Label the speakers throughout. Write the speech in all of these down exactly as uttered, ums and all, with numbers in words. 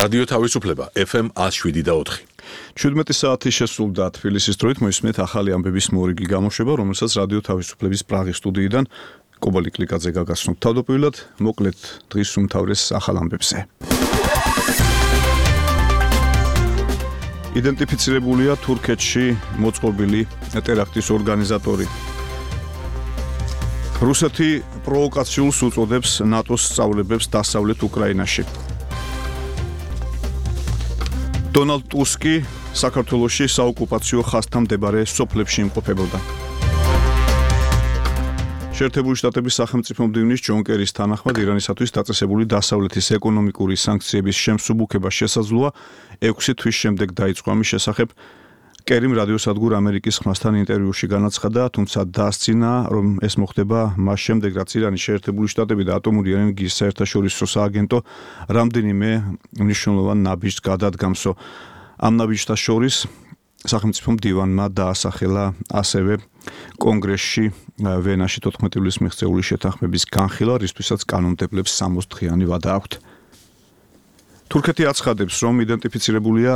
Speaker 1: რადიო თავისუფლება ეფ ემ one oh seven და four.
Speaker 2: ჩვიდმეტი საათი შესრულდა თბილისის დროით მოისმენთ ახალი ამბების მორიგი გამოშვება, რომელსაც რადიო თავისუფლების პრაღის სტუდიიდან კობალი კლიკაძე გაგაცნობთ. თავდაპირველად მოკლედ დღის უმთავრეს ახალ ამბებზე. იდენტიფიცირებულია თურქეთში მოწყობილი ტერაქტის ორგანიზატორი. რუსეთი პროვოკაციულს უწოდებს ნატოს სწავლებებს დასავლეთ უკრაინაში. დონალდ ტუსკი საქართველოში საოკუპაციო ხაზთან მდებარე სოფლებში იმყოფებოდა. შეერთებული შტატების სახელმწიფო მდივნის ჯონ კერის თანახმად ირანისათვის დაწესებული დასავლეთის ეკონომიკური სანქციების შემსუბუქება შესაძლოა ექვსი თვის შემდეგ დაიწყო. ამის შესახებ კერიმ რადიოსადგურ ამერიკის ხმასთან ინტერვიუში განაცხადა, თუმცა დაასწინა, რომ ეს მოხდება მას შემდეგ, რაც ირანის შეერთებული შტატები და ატომური ენერგიის საერთაშორისო სააგენტო რამდენიმე მნიშვნელოვან ნაბიჯს გადადგამსო. ამ ნაბიჯთა შორის სახელმწიფო მდივანმა დაასახელა ასევე კონგრესში ვენაში თოთხმეტი ივლისის მიღწეული შეთანხმების განხილვა, რისთვისაც კანონმდებლებს სამოცი დღიანი ვადა აქვთ. თურქეთი აცხადებს, რომ იდენტიფიცირებულია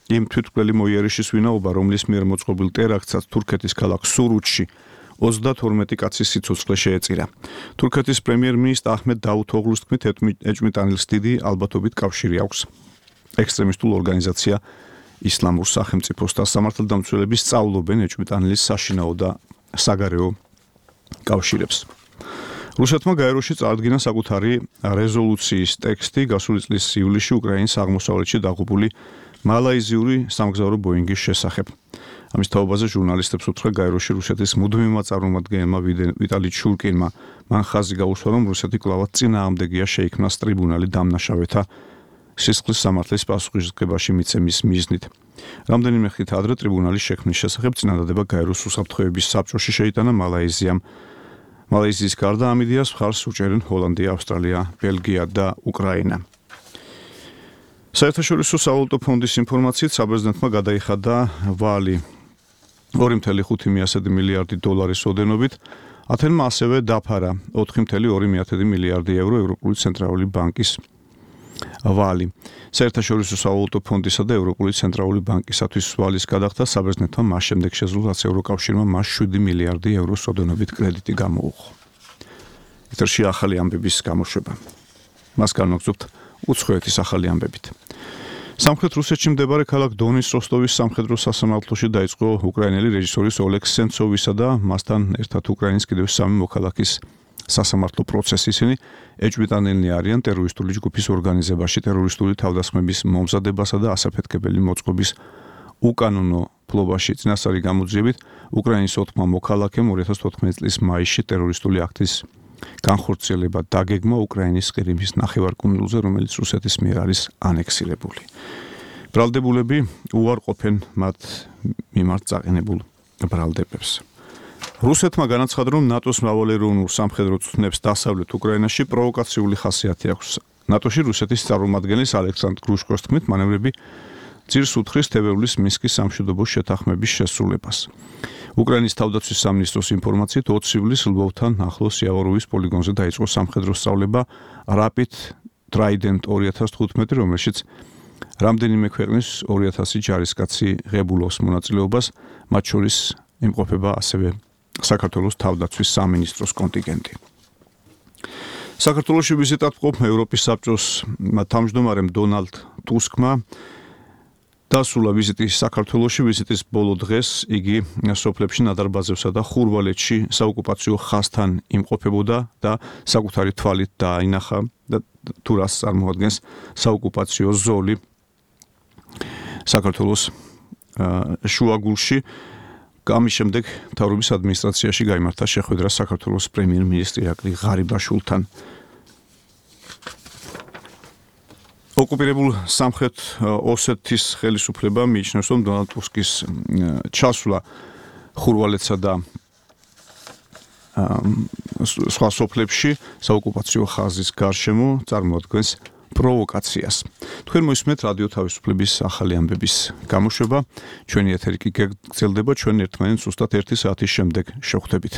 Speaker 2: იმ თვითმკვლელი მოიერიშის ვინაობა, რომლის მიერ მოწყობილ ტერაქტსაც თურქეთის ქალაქ სურუთში ოცდათორმეტი კაცის სიცოცხლე შეეწირა. თურქეთის პრემიერ-მინისტრ აჰმედ დავუთოღლუს თქმით, ეჭვმიტანილს დიდი ალბათობით კავშირი აქვს ექსტრემისტულ ორგანიზაცია ისლამურ სახელმწიფოს და სამართალდამცველები სწავლობენ ეჭვმიტანილის საშინაო და საგარეო კავშირებს. რუსეთმა გაეროში წარადგინა საკუთარი რეზოლუციის ტექსტი გასული წლის ივლისში უკრაინის აღმოსავლეთში დაღუპული მალაიზიური სამგზავრო ბოინგის შესახებ. ამის თაობაზე ჟურნალისტებს უთხრა გაეროში რუსეთის მუდმივმა წარმომადგენელმა ვიტალი ჩურკინმა. მან ხაზი გაუსვა, რომ რუსეთი კვლავაც წინააღმდეგია შეიქმნას ტრიბუნალი დამნაშავეთა სისხლის სამართლის პასუხისმგებაში მიცემის მიზნით. რამდენიმე ხით ადრე ტრიბუნალის შექმნის შესახებ წინადადება გაეროს უსაფრთხოების საბჭოში შეიტანა მალაიზიამ. მალაიზიის გარდა ამ იდეას მხარს უჭერენ ჰოლანდია, ავსტრალია, ბელგია და უკრაინა. საერთაშორისო სავალუტო ფონდის ინფორმაციით საბერძნეთმა გადაიხადა ვალი ორი წუთი ხუთი მილიარდი დოლარის ოდენობით. ათენმა ასევე დაფარა ოთხი წუთი ორი მილიარდი ევრო ევროპული ცენტრალური ბანკის ვალი. საერთაშორისო სავალუტო ფონდისა და ევროპული ცენტრალური ბანკისათვის ვალის გადახდა საბერძნეთმა მას შემდეგ შეძლო, რაც ევროკავშირმა მას შვიდი მილიარდი ევროს ოდენობით კრედიტი გამოუხო. ეთერში ახალი ამბების გამოშვება. მას განვაგრძობთ უცხოეთის ახალი ამბებით. სამხრეთ რუსეთში მდებარე ქალაქ დონის როსტოვის სამხედრო სასამართლოში დაიწყო უკრაინელი რეჟისორის ოლეგ სენცოვისა და მასთან ერთად უკრაინის კიდევ სამი მოქალაქის სასამართლო პროცესი. ისინი ეჭვმიტანილნი არიან ტერორისტული ჯგუფის ორგანიზებაში, ტერორისტული თავდასხმების მომზადებასა და ასაფეთქებელი მოწყობის უკანონო ფლობაში წინასწარი გამოძიებით უკრაინის ოთხმა მოქალაქემ ორი ათას თოთხმეტი წლის მაისში ტერორისტული აქტის განხორციელება დაგეგმა უკრაინის ყირიმის ნახევარკუნძულზე, რომელიც რუსეთის მიერ არის ანექსირებული. ბრალდებულები უარყოფენ მათ მიმართ წაყენებულ ბრალდებებს. რუსეთმა განაცხადა, რომ ნატოს მრავალეროვნულ სამხედრო წვნებს დასავლეთ უკრაინაში პროვოკაციული ხასიათი აქვს. ნატოში რუსეთის წარმომადგენლის ალექსანდრ გრუშკოს თქმით, მანევრები ძირს უთხრეს თებერვლის მინსკის სამშვიდობო შეთანხმების შესრულებას. უკრაინის თავდაცვის სამინისტროს ინფორმაციით ოცი ივლისს ლვოვთან ახლოს იავოროვის პოლიგონზე დაიწყო სამხედრო სწავლება Rapid Trident ორი ათას თხუთმეტი, რომელშიც რამდენიმე ქვეყნის ორი ათასი ჯარისკაცი ღებულობს მონაწილეობას, მათ შორის იმყოფება ასევე საქართველოს თავდაცვის სამინისტროს კონტინგენტი. საქართველოში ვიზიტად მყოფ ევროპის საბჭოს თავმჯდომარემ დონალდ ტუსკმა დასრულა ვიზიტი საქართველოში. ვიზიტის ბოლო დღეს იგი სოფლებში ნადარბაზებსა და ხურვალეთში საოკუპაციო ხაზთან იმყოფებოდა და საკუთარი თვალით დაინახა და თუ რას წარმოადგენს საოკუპაციო ზოლი საქართველოს შუაგულში. ამის შემდეგ მთავრობის ადმინისტრაციაში გაიმართა შეხვედრა საქართველოს პრემიერ-მინისტრი ირაკლი ღარიბაშვილთან. ოკუპირებულ სამხრეთ ოსეთის ხელისუფლებამ მიიჩნევს, რომ დონალდ ტუსკის ჩასვლა ხურვალეთსა და სხვა სოფლებში საოკუპაციო ხაზის გარშემო წარმოადგენს პროვოკაციას. თქვენ მოისმენთ რადიო თავისუფლების ახალი ამბების გამოშვება. ჩვენი ეთერი კი გაგრძელდება ჩვენ ერთმანეთს ზუსტად ერთი საათის შემდეგ შევხვდებით.